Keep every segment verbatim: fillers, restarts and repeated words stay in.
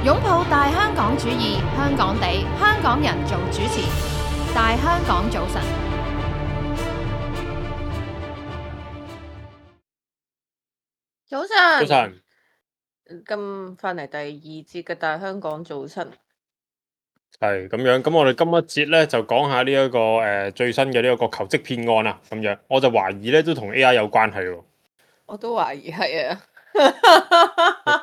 擁抱大香港主義，香港地，香港人做主持，大香港早晨。早晨，早晨，咁翻嚟第二節嘅大香港早晨。係咁樣，咁我哋今一節咧就講下呢、一個誒、呃、最新嘅呢一個求職騙案啊，咁樣我就懷疑咧都同 A I 有關係喎。我都懷疑係啊。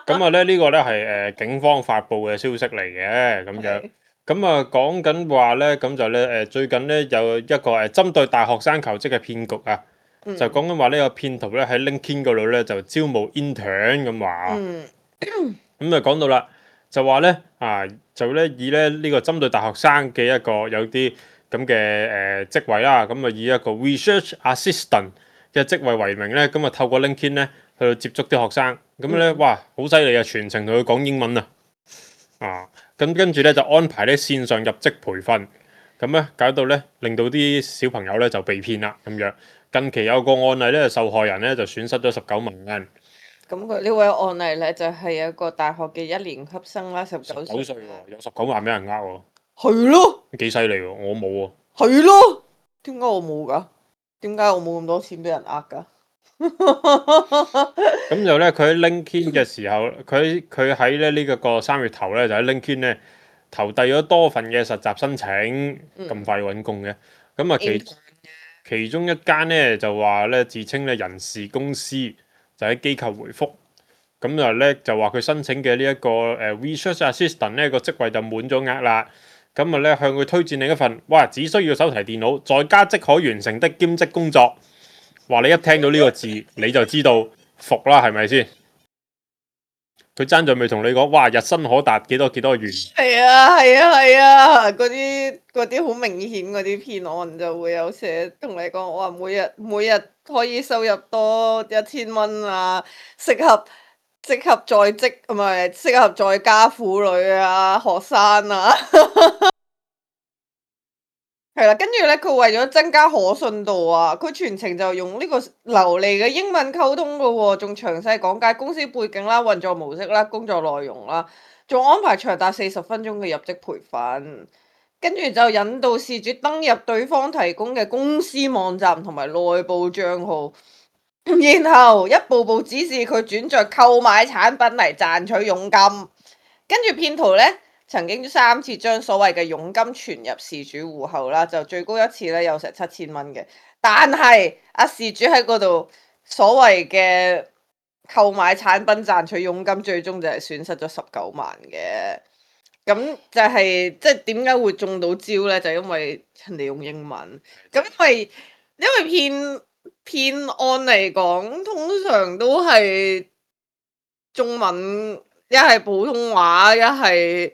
咁啊咧呢、個咧係誒警方發布嘅消息嚟嘅，咁樣咁啊講緊話咧，咁就咧誒、呃、最近咧有一個誒針對大學生求職嘅騙局啊，嗯就講緊話呢個騙徒咧喺 LinkedIn 嗰度咧就招募 intern 咁話。嗯咁就講到啦，就話咧啊，就咧以咧呢、個針對大學生嘅一個有啲咁嘅誒職位啦，咁啊以一個 research assistant 嘅職位為名咧，咁啊透過 LinkedIn 咧去接觸啲學生，咁咧、嗯哇好犀利啊，全程同佢講英文啊，啊咁跟住咧就安排咧線上入職培訓，咁咧搞到咧令到啲小朋友咧就被騙啦咁樣。近期有個案例咧，受害人咧就損失咗十九萬蚊。咁佢呢位案例咧就係一個大學嘅一年級生啦，十十九歲。九歲喎，有十九萬俾人呃喎。係咯，幾犀利喎！我冇喎。係咯，點解我冇噶？點解我冇咁多錢俾人呃噶？咁就咧，佢喺 LinkedIn 嘅時候，佢佢喺咧呢個個三月頭咧，就喺 LinkedIn 咧投遞咗多份嘅實習申請，咁快揾工嘅。咁啊其其中一間咧就話咧自稱咧人事公司，就喺機構回覆，咁就咧就話佢申請嘅呢一個誒 research assistant 呢個職位就滿咗額啦。咁啊咧向佢推薦另一份，哇！只需要手提電腦，在家即可完成的兼職工作。話你一聽到呢個字，你就知道服啦，係咪先？佢爭在未同你講，哇！日薪可達幾多幾多元？係啊係啊係啊，嗰啲嗰啲好明顯嗰啲騙案就會有寫同你講，我話每日每日可以收入多一千蚊啊，適合適合在職唔係適合在家婦女啊，學生啊。係啦，跟住咧，佢為咗增加可信度啊，佢全程就用呢個流利嘅英文溝通噶喎，仲詳細講解公司背景啦、運作模式啦、工作內容啦，仲安排長達四十分鐘嘅入職培訓，跟住就引導事主登入對方提供嘅公司網站同埋內部帳號，然後一步步指示佢轉賬購買產品嚟賺取佣金，跟住騙徒咧。曾經三次將所謂嘅佣金存入事主戶口啦，就最高一次咧有成七千蚊嘅。但係阿事主喺嗰度所謂嘅購買產品賺取佣金，最終就係損失咗十九萬嘅。咁就係即係點解會中到招咧？就因為人哋用英文。咁因為因為騙騙案嚟講，通常都係中文，一係普通話，一係。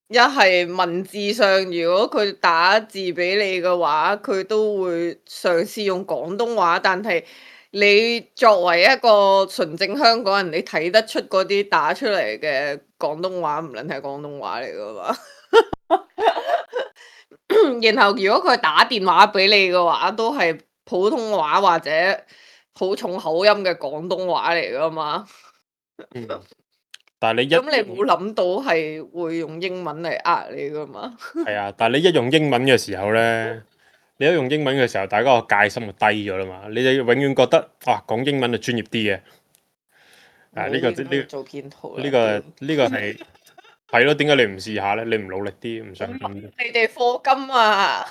一係文字上，如果佢打字俾你嘅話，佢都會嘗試用廣東話。但係你作為一個純正香港人，你睇得出嗰啲打出嚟嘅廣東話唔撚係廣東話嚟噶嘛？然後如果佢打電話俾你嘅話，都係普通話或者好重口音嘅廣東話嚟噶嘛？嗯但係你一咁你冇諗到係會用英文嚟呃你噶嘛？係啊，但係你一用英文嘅時候咧，你一用英文嘅時候，大家個戒心就低咗啦嘛。你就永遠覺得啊，講英文就專業啲嘅。啊，呢、個呢呢、做騙徒呢、個呢、個係係咯。點解你唔試下咧？你唔努力啲，唔想咁。你哋課金啊！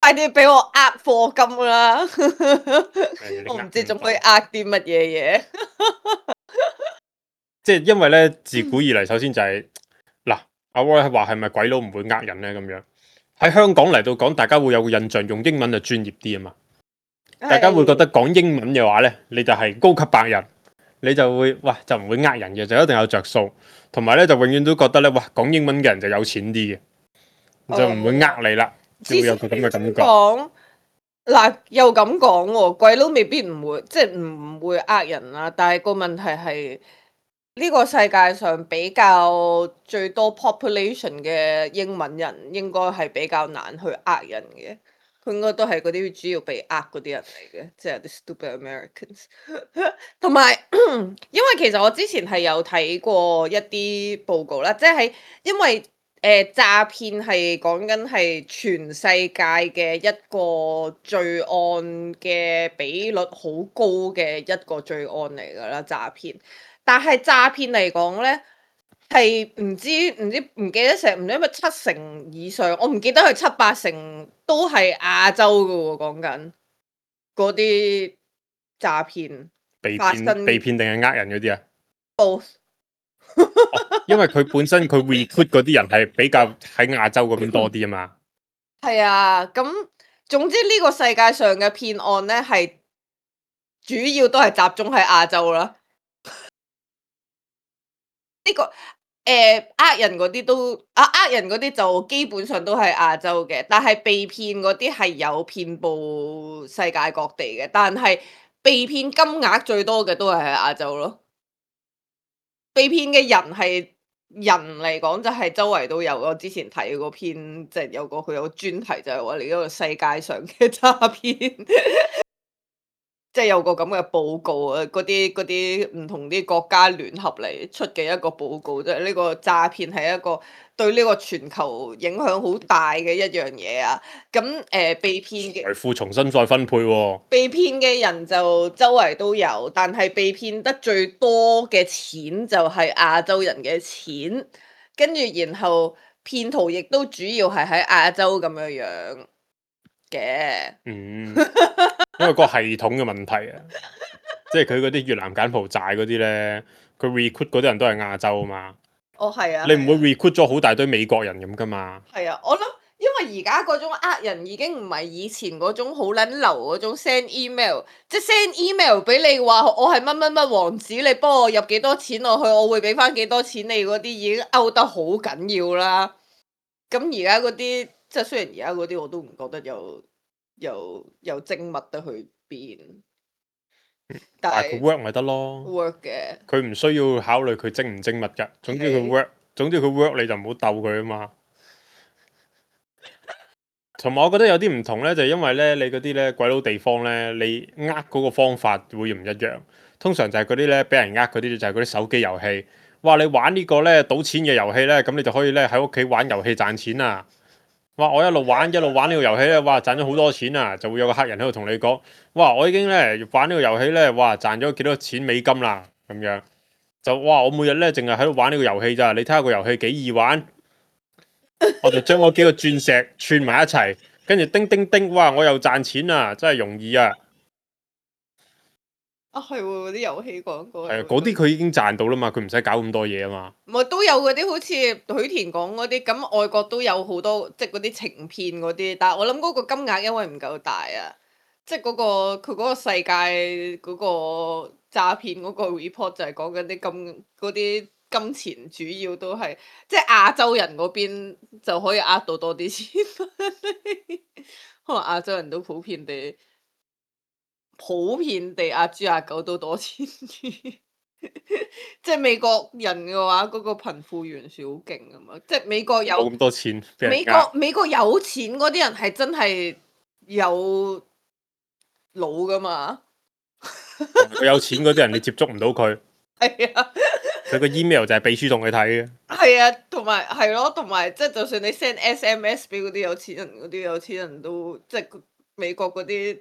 快啲俾我呃課金啦！我唔知仲可以呃啲乜嘢嘢。即係因為咧，自古以嚟首先就係、嗱，阿 Roy 話係咪鬼佬唔會呃人咧？咁樣喺香港嚟到講，大家會有個印象，用英文就專業啲啊嘛。大家會覺得講英文嘅話咧，你就係高級白人，你就會哇就唔會呃人嘅，就一定有着數。同埋咧就永遠都覺得咧，哇講英文嘅人就有錢啲嘅，就唔會呃你啦，就會有個咁嘅感覺。講嗱又咁講喎，鬼佬未必唔會，即係唔會呃人啦。但係個問題係呢個世界上比較最多 population 嘅英文人，應該係比較難去呃人嘅。佢應該都係嗰啲主要被呃嗰啲人嚟嘅，即係啲 stupid Americans。同埋，因為其實我之前係有睇過一啲報告啦，即係喺因為誒、呃、詐騙係講緊係全世界嘅一個罪案嘅比率好高嘅一個罪案嚟㗎啦，詐騙。但係詐騙嚟講咧，係唔知唔知唔記得成唔知乜七成以上，我唔記得佢七八成都係亞洲㗎喎，講緊嗰啲詐騙被發生騙被騙定係呃人嗰啲啊？ both 哦，因為佢本身佢 recruit 嗰啲人係比較喺亞洲嗰邊多啲啊嘛。係啊，咁總之呢個世界上嘅騙案咧，係主要都係集中喺亞洲啦。呢、個誒呃人嗰啲都啊呃人嗰啲就基本上都係亞洲嘅，但係被騙嗰啲係有遍佈世界各地嘅，但係被騙金額最多嘅都係喺亞洲咯。被騙嘅人係人嚟講就係周圍都有。我之前睇嗰篇即係有個佢有個專題就係話你嗰個世界上嘅詐騙。即係有個咁嘅報告啊，嗰啲嗰啲唔同啲國家聯合嚟出嘅一個報告，即係呢個詐騙係一個對呢個全球影響好大嘅一樣嘢啊。咁誒、呃、被騙嘅財富重新再分配喎。被騙嘅人就周圍都有，但係被騙得最多嘅錢就係亞洲人嘅錢，跟住然後騙徒亦都主要係喺亞洲咁樣樣嘅。嗯，因為個系統嘅問題啊，即係佢嗰啲越南柬埔寨嗰啲咧，佢 recruit 嗰啲人都係亞洲啊嘛。哦，係啊，你唔會係啊 recruit 咗好大堆美國人咁噶嘛？係啊，我諗因為而家嗰種呃人已經唔係以前嗰種好撚流嗰種 send email，即係 send email 俾你話我係乜乜乜王子，你幫我入幾多錢落去，我會俾翻幾多錢你嗰啲已經勾得好緊要啦。咁而家嗰啲即係雖然而家嗰啲我都唔覺得有有有精密得去邊，但係但係佢 work 咪得咯。 work 嘅。佢唔需要考慮佢精唔精密㗎。總之佢係 work，總之佢 work 你就唔好鬥佢啊嘛。同埋我覺得有啲唔同咧，就係因為咧你嗰啲咧鬼佬地方咧，你呃嗰個方法會唔一樣。通常就係嗰啲咧俾人呃嗰啲就係嗰啲手機遊戲。哇！你玩呢個咧賭錢嘅遊戲咧，咁你就可以咧喺屋企玩遊戲賺錢啊！哇！我一路玩一路玩呢個遊戲咧，哇！賺咗好多錢啊！就會有個客人喺度同你講：哇！我已經咧玩呢個遊戲咧，哇！賺咗幾多錢美金啦咁樣。就哇！我每日咧淨係喺度玩呢個遊戲咋？你睇下個遊戲幾易玩。我就將嗰幾個鑽石串埋一齊，跟住叮叮叮，哇！我又賺錢啊，真係容易啊！啊，係喎，嗰啲遊戲廣告係啊，嗰啲佢已經賺到啦嘛，佢唔使搞咁多嘢啊嘛。唔係都有嗰啲好似許田講嗰啲，咁外國都有好多即係嗰啲情騙嗰啲，但係我諗嗰個金額因為唔夠大啊，即係嗰個佢嗰個世界嗰個詐騙嗰個 report 就係講緊啲金嗰啲金錢主要都係即係亞洲人嗰邊就可以呃到多啲錢，可能亞洲人都普遍地普遍地呃豬呃狗都多錢啲。即係美國人嘅話，嗰、個貧富懸殊好勁啊嘛！即係美國有冇咁多錢俾人美呃國美國有錢嗰啲人係真係有腦噶嘛？佢有錢嗰啲人你接觸唔到佢，係啊，佢個 email 就係秘書同佢睇嘅。係啊，同埋係咯，同埋即係就算你 send S M S 俾嗰啲有錢人，嗰啲有錢人都即係美國嗰啲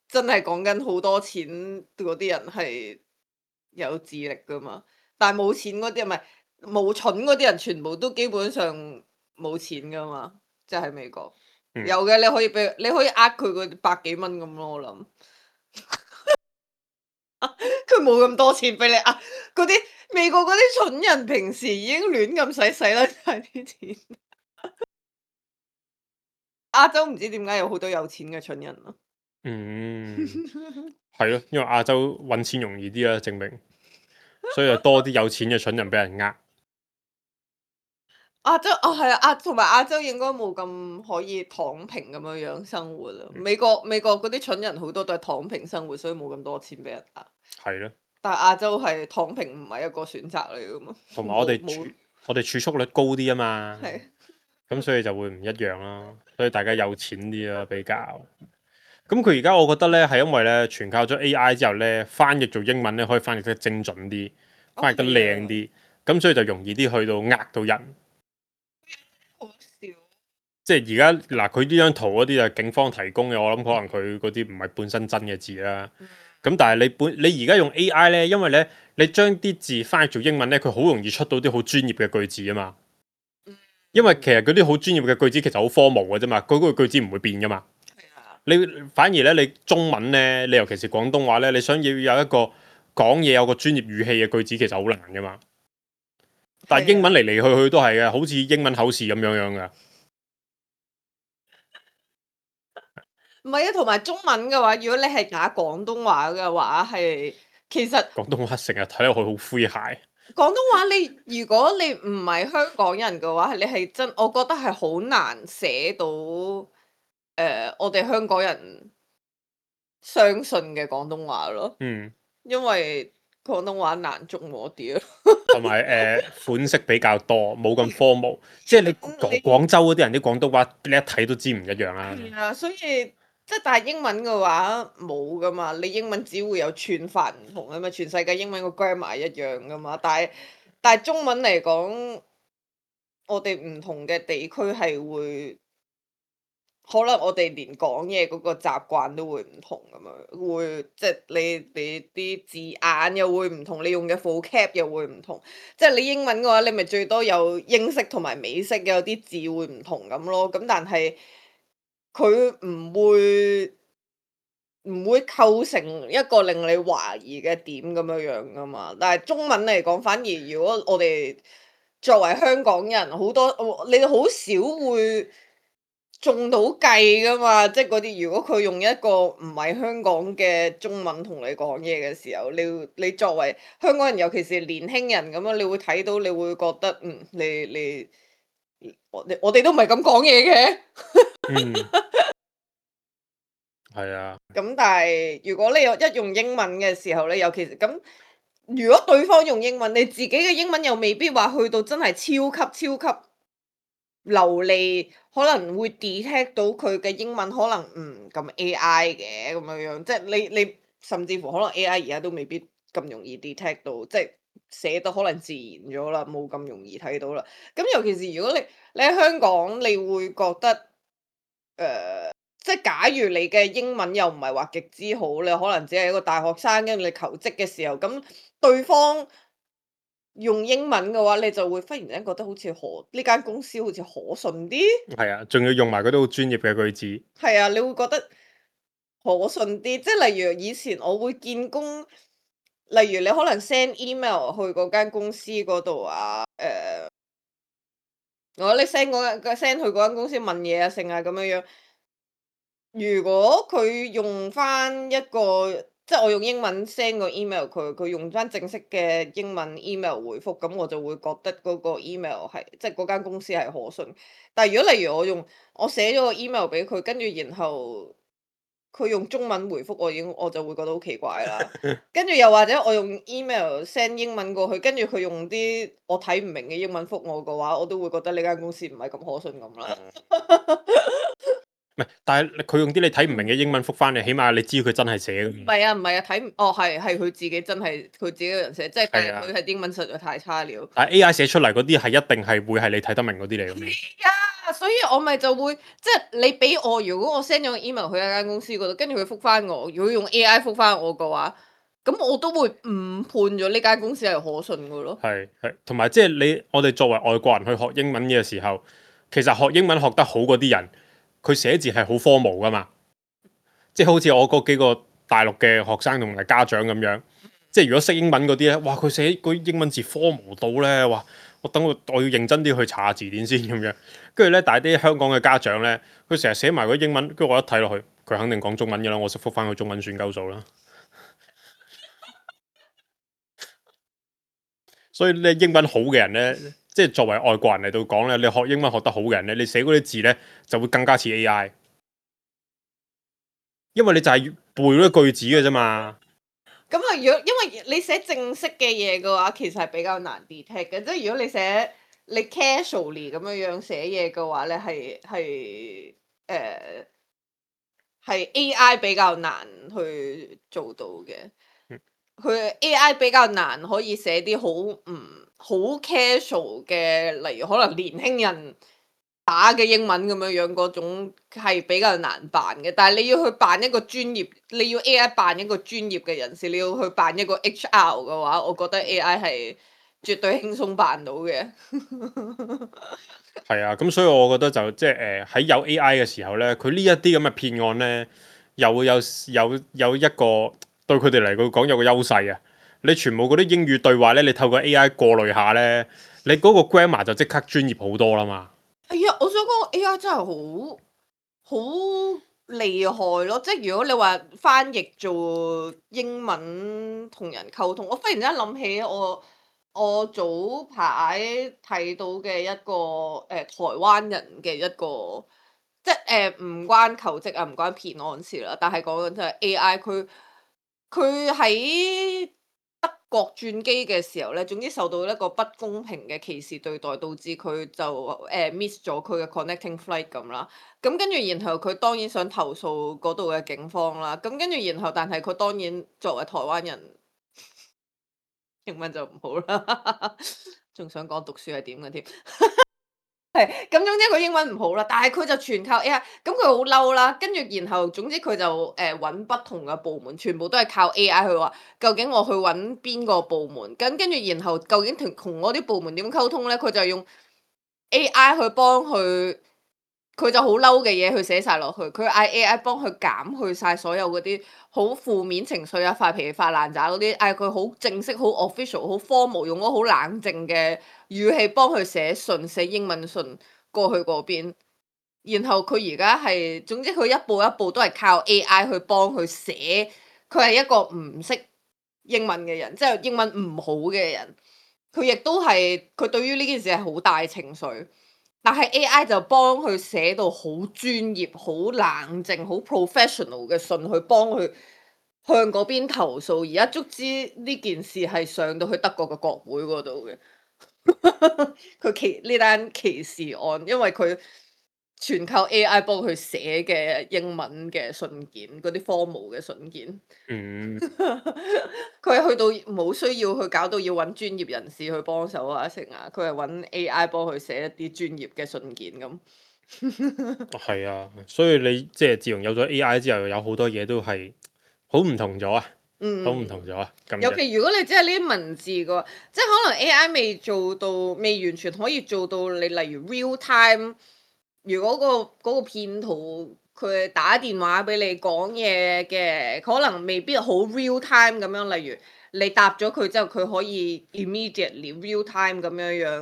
真係講緊好多錢嗰啲人係有智力噶嘛，但係冇錢嗰啲唔係冇蠢嗰啲人，全部都基本上冇錢噶嘛，即係喺美國、嗯有嘅，你可以俾你可以呃佢個百幾蚊咁咯，我諗佢冇咁多錢俾你呃，嗰啲美國嗰啲蠢人平時已經亂咁使使甩晒啲錢，亞洲唔知點解有好多有錢嘅蠢人咯。嗯，係咯，因為亞洲揾錢容易啲啦，證明，所以就多啲有錢嘅蠢人俾人呃。亞洲哦係啊，亞同埋亞洲應該冇咁可以躺平咁樣樣生活啦。美國美國嗰啲蠢人好多都係躺平生活，所以冇咁多錢俾人呃。係咯，但係亞洲係躺平唔係一個選擇嚟噶嘛。同埋我哋冇冇儲我哋儲蓄率高啲啊嘛。係咁所以就會唔一樣啦。所以大家有錢啲啦比較。咁佢而家我覺得咧係因為咧全靠咗 A I 之後咧，翻譯做英文咧可以翻譯得精準啲，翻譯得靚啲，咁所以就容易啲去到呃到人。好笑。即係而家嗱，佢呢張圖嗰啲就係警方提供嘅，我諗可能佢嗰啲唔係本身真嘅字啦。咁、嗯、但係你本你而家用 A I 咧，因為咧你將啲字翻譯做英文咧，佢好容易出到啲好專業嘅句子啊嘛。因為其實嗰啲好專業嘅句子其實好荒謬嘅啫嘛，佢嗰個句子唔會變噶嘛。你反而咧，你中文咧，你尤其是廣東話咧，你想要有一個講嘢有個專業語氣嘅句子，其實好難噶嘛。但係英文嚟嚟去去都係嘅，好似英文口試咁樣樣噶。唔係啊，同埋中文嘅話，如果你係打廣東話嘅話，係其實廣東話成日睇落去好詼諧。廣東話你如果你唔係香港人嘅話，你係真，我覺得係好難寫到誒、呃，我哋香港人相信嘅廣東話咯。嗯，因為廣東話難捉摸啲咯，同埋誒款式比較多，冇咁科目。即係你廣廣州嗰啲人啲廣東話，你一睇都知唔一樣啦。係啊，所以即係但係英文嘅話冇噶嘛，你英文只會有串法唔同啊嘛，全世界英文個 grammar 一樣噶嘛，但係但係中文嚟講，我哋唔同嘅地區係會。可能我哋連講嘢嗰個習慣都會唔同咁樣，會即係你你啲字眼又會唔同，你用嘅 vocab 又會唔同。即係你英文嘅話，你咪最多有英式同埋美式，有啲字會唔同咁咯。咁但係佢唔會唔會構成一個令你懷疑嘅點咁樣樣噶嘛。但係中文嚟講，反而如果我哋作為香港人，好多你哋好少會中到計噶嘛，即係嗰啲如果佢用一個唔係香港嘅中文同你講嘢嘅時候，你你作為香港人，尤其是年輕人咁樣，你會睇到，你會覺得嗯，你你我我哋都唔係咁講嘢嘅。嗯，係啊。咁但係如果你有一用英文嘅時候咧，尤其是咁，如果對方用英文，你自己嘅英文又未必話去到真係超級超級流利，可能會 detect 到佢嘅英文可能唔咁 A I 嘅咁樣樣，即係你你甚至乎可能 A I 而家都未必咁容易 detect 到，即係寫得可能自然咗啦，冇咁容易睇到啦。咁尤其是如果你你喺香港，你會覺得誒、呃，即係假如你嘅英文又唔係話極之好，你可能只係一個大學生，跟住你求職嘅時候，咁對方用英文嘅話，你就會忽然間覺得好似可呢間公司好似可信啲。係啊，仲要用埋嗰啲好專業嘅句子。係啊，你會覺得可信啲，即係例如以前我會見工，例如你可能 send email 去嗰間公司嗰度啊，誒、呃，我你 send 嗰間 send 去嗰間公司問嘢啊，成啊咁樣樣。如果佢用翻一個。即係我用英文 send 個 email 佢，佢用翻正式嘅英文 email 回覆，咁我就會覺得嗰個 email 係即係嗰間公司係可信。但係如果例如我用我寫咗個 email 俾佢，跟住然後佢用中文回覆我，已經我就會覺得好奇怪啦。跟住又或者我用 email send 英文過去，跟住佢用啲我睇唔明嘅英文覆我嘅話，我都會覺得呢間公司唔係咁可信咁啦。唔係，但係佢用啲你睇唔明嘅英文覆翻你，起碼你知佢真係寫嘅。唔係啊，唔係啊，睇唔哦係係佢自己真係佢自己嘅人寫，即係但係佢係英文實在太差了。但係 A I 寫出嚟嗰啲係一定係會係你睇得明嗰啲嚟嘅。係啊，所以我咪就會即係你俾我，如果我 send 咗個 email 去一間公司嗰度，跟住佢覆翻我，如果用 A I 覆翻我嘅話，咁我都會誤判咗呢間公司係可信嘅咯。係係，同埋即係你我哋作為外國人去學英文嘅時候，其實學英文學得好嗰啲人，佢寫字係好科毛噶嘛，即係好似我嗰幾個大陸嘅學生同埋家長咁樣，即係如果識英文嗰啲咧，哇佢寫嗰啲英文字科毛到咧，哇我等我我要認真啲去查下字典先咁樣，跟住咧，但係啲香港嘅家長咧，佢成日寫埋嗰啲英文，跟住我一睇落去，佢肯定講中文嘅啦，我識覆翻佢中文算鳩數啦。所以咧，英文好嘅人咧，即係作為外國人嚟到講咧，你學英文學得好嘅人咧，你寫嗰啲字咧就會更加似 A I， 因為你就係背嗰啲句子嘅啫嘛。咁啊，如果因為你寫正式嘅嘢嘅話，其實係比較難 detect 嘅，即係如果你寫你 casually 咁樣樣寫嘢嘅話咧，係係誒係 A I 比較難去做到嘅。嗯佢 A I 比較難可以寫啲好唔好 casual 嘅，例如可能年輕人打嘅英文咁樣樣嗰種係比較難扮嘅。但係你要去扮一個專業，你要 A I 扮一個專業嘅人士，你要去扮一個 H R 嘅話，我覺得 A I 係絕對輕鬆扮到嘅。係啊，咁所以我覺得就即係誒喺有 A I 嘅時候咧，佢呢一啲咁嘅騙案咧，又會有有有一個對佢哋嚟講有個優勢啊！你全部嗰啲英語對話咧，你透過 A I 過濾下咧，你嗰個 grammar 就即刻專業好多啦嘛。係啊，我想講 A I 真係好好厲害咯！即係如果你話翻譯做英文同人溝通，我忽然之間諗起我我早排睇到嘅一個誒、呃、台灣人嘅一個，即係誒唔關求職啊，唔關騙案事啦，但係講緊就係 A I 佢佢喺德國轉機嘅時候咧，總之受到一個不公平嘅歧視對待，導致佢就誒、呃、miss 咗佢嘅 connecting flight 咁啦。咁跟住然後佢當然想投訴嗰度嘅警方啦。咁跟住然後，但係佢當然作為台灣人，英文就唔好啦，仲想講讀書係點嘅添。係，咁總之佢英文唔好啦，但係佢就全靠 A I，咁佢好嬲啦，跟住然後總之佢就誒揾、呃、不同嘅部門，全部都係靠 A I 去話，究竟我去揾邊個部門，咁跟住然後究竟同同嗰啲部門點溝通咧？佢就用 A I 去幫佢，佢就好嬲嘅嘢去寫晒落去，佢嗌 A I 幫佢減去晒所有嗰啲好負面情緒啊、發脾氣、發爛渣嗰啲，嗌佢好正式、好 official、好 formal，用咗好冷靜嘅語氣幫佢寫信、寫英文信過去嗰邊。然後佢而家係，總之佢一步一步都係靠 A I 去幫佢寫。佢係一個唔識英文嘅人，即係英文唔好嘅人。佢亦都係，佢對於呢件事係好大情緒。但係 A I 就幫佢寫到好專業、好冷靜、好 professional 嘅信，去幫佢向嗰邊投訴。而家足之呢件事係上到去德國嘅國會嗰度嘅。佢歧呢單歧視案，因為佢全靠 A I 幫佢寫嘅英文嘅信件，嗰啲 formal 嘅信件。嗯，佢係去到冇需要去搞到要揾專業人士去幫手啊，成啊，佢係揾 A I 幫佢寫一啲專業嘅信件咁。係啊，所以你即係自從有咗 A I 之後，有好多嘢都係好唔同咗啊，嗯，好唔同咗啊。咁尤其如果你只係呢啲文字嘅話，即係可能 A I 未做到，未完全可以做到你例如 real time。如果、嗰個嗰、嗰個騙徒佢打電話俾你講嘢嘅，可能未必好 real time 咁樣。例如你答咗佢之後，佢可以 immediately real time 咁樣樣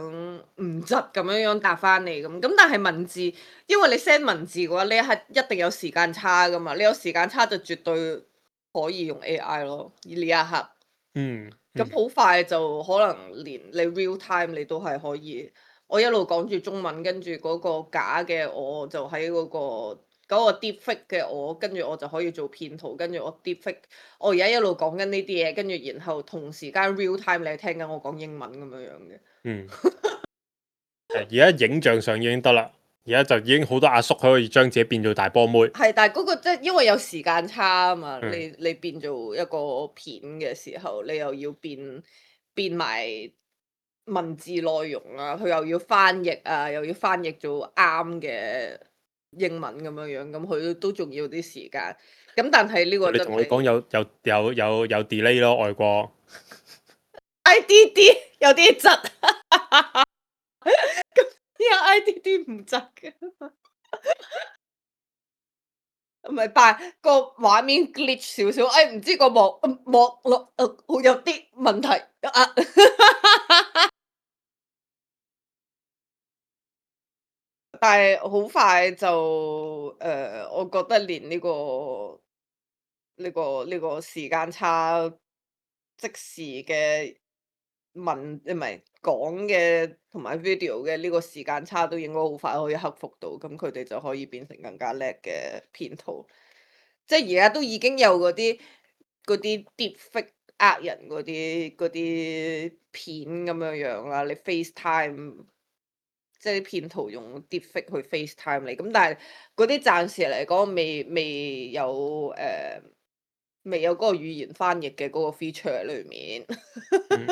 唔窒咁樣樣答翻你咁。咁但係文字，因為你 send 文字嘅話，你係一定有時間差噶嘛。你有時間差就絕對可以用 A I 咯。呢一刻，嗯，咁好快就可能連你 real time 你都係可以。我一路講住中文，跟住嗰個假嘅我就喺嗰、嗰個嗰、嗰個 deepfake 嘅我，跟住我就可以做騙徒，跟住我 deepfake。我而家一路講緊呢啲嘢，跟住然後同時間 real time 你係聽緊我講英文咁樣樣嘅。嗯，而家影像上已經得啦，而家就已經好多阿叔可以將自己變做大波妹。係，但係嗰個即係因為有時間差啊嘛，嗯你你變做一個片嘅時候，你又要變變埋文字內容啊，佢又要翻譯啊，又要翻譯做啱嘅英文咁樣樣，咁佢都仲要啲時間。咁但係呢個真你同佢講係有有有有有 delay 咯，外國 I D D 有啲窒，咁有 I D D 唔窒嘅。唔係，但係個畫面 glitch 少少，誒唔知個網網絡誒會有啲問題啊。但係好快就誒、呃，我覺得連呢、個呢、個呢、個時間差，即時嘅文唔係講嘅同埋 video 嘅呢個時間差都應該好快可以克服到，咁佢哋就可以變成更加叻嘅騙徒。即係而家都已經有嗰啲嗰啲 deepfake 呃人嗰啲嗰啲片咁樣樣啦，你 FaceTime 即係啲騙徒用 deepfake 去 FaceTime 你，咁但係嗰啲暫時嚟講未未有誒、呃、未有嗰個語言翻譯嘅嗰個 feature 喺裏面。嗯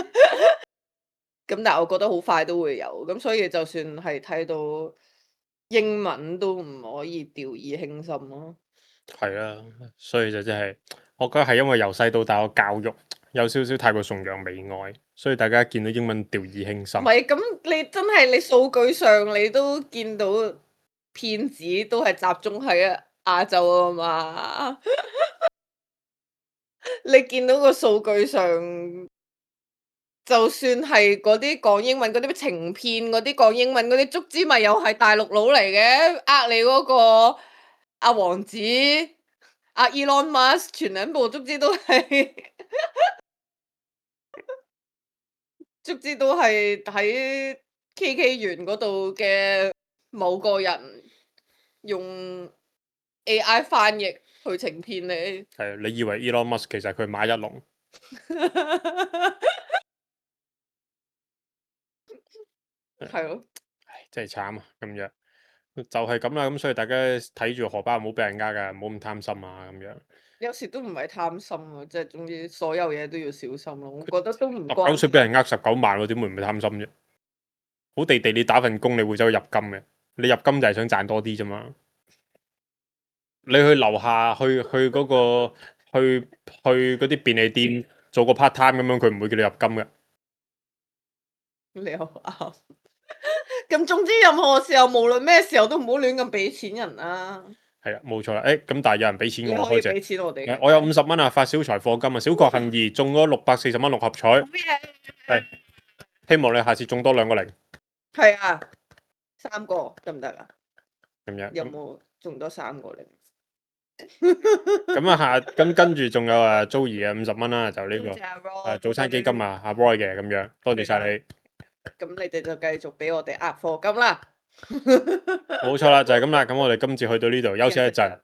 咁但係我覺得好快都會有，咁所以就算係睇到英文都唔可以掉以輕心咯。係啦，所以就真係，我覺得係因為由細到大個教育有少少太過崇洋媚外，所以大家見到英文掉以輕心唔。係，咁你真係你數據上你都見到騙子都係集中喺亞洲啊嘛。你見到個數據上，就算係嗰啲講英文嗰啲咩情騙嗰啲講英文嗰啲足之咪又係大陸佬嚟嘅，呃你嗰個阿王子阿 Elon Musk 全兩部足之都係足之都係喺 K K 園嗰度嘅某個人用 A I 翻譯去情騙你。係你以為 Elon Musk 其實佢馬一龍？係咯，唉，真係慘啊！咁樣就係咁啦，咁所以大家睇住荷包唔好俾人呃噶，唔好咁貪心啊咁樣。有時都唔係貪心啊，即係總之所有嘢都要小心咯。我覺得都唔十關九歲俾人呃十九萬喎，點會唔係貪心啫？好地地你打份工，你會走去入金嘅，你入金就係想賺多啲啫嘛。你去樓下去去嗰、個去去嗰啲便利店做個 part time 咁樣，佢唔會叫你入金嘅。你又啱。咁總之任何時候，無論咩時候都唔好亂咁俾錢人啦。係啦，冇錯啦。誒咁，但係有人俾錢我開你可以俾隻，錢我哋嘅。誒我有五十蚊啊，發小財課金啊，小確幸二中咗六百四十蚊六合彩，好嘢。係希望你下次中多兩個零係啊，三個得唔得啊？咁樣。有冇中多三個零？咁啊下咁跟住仲有誒 Joey 嘅五十蚊啦，就呢、個多謝阿 Roy 誒早餐基金啊，阿 Roy 嘅咁樣，多謝晒你。咁你哋就繼續俾我哋呃課金啦。冇錯啦，就係咁啦。咁我哋今次去到呢度休息一陣，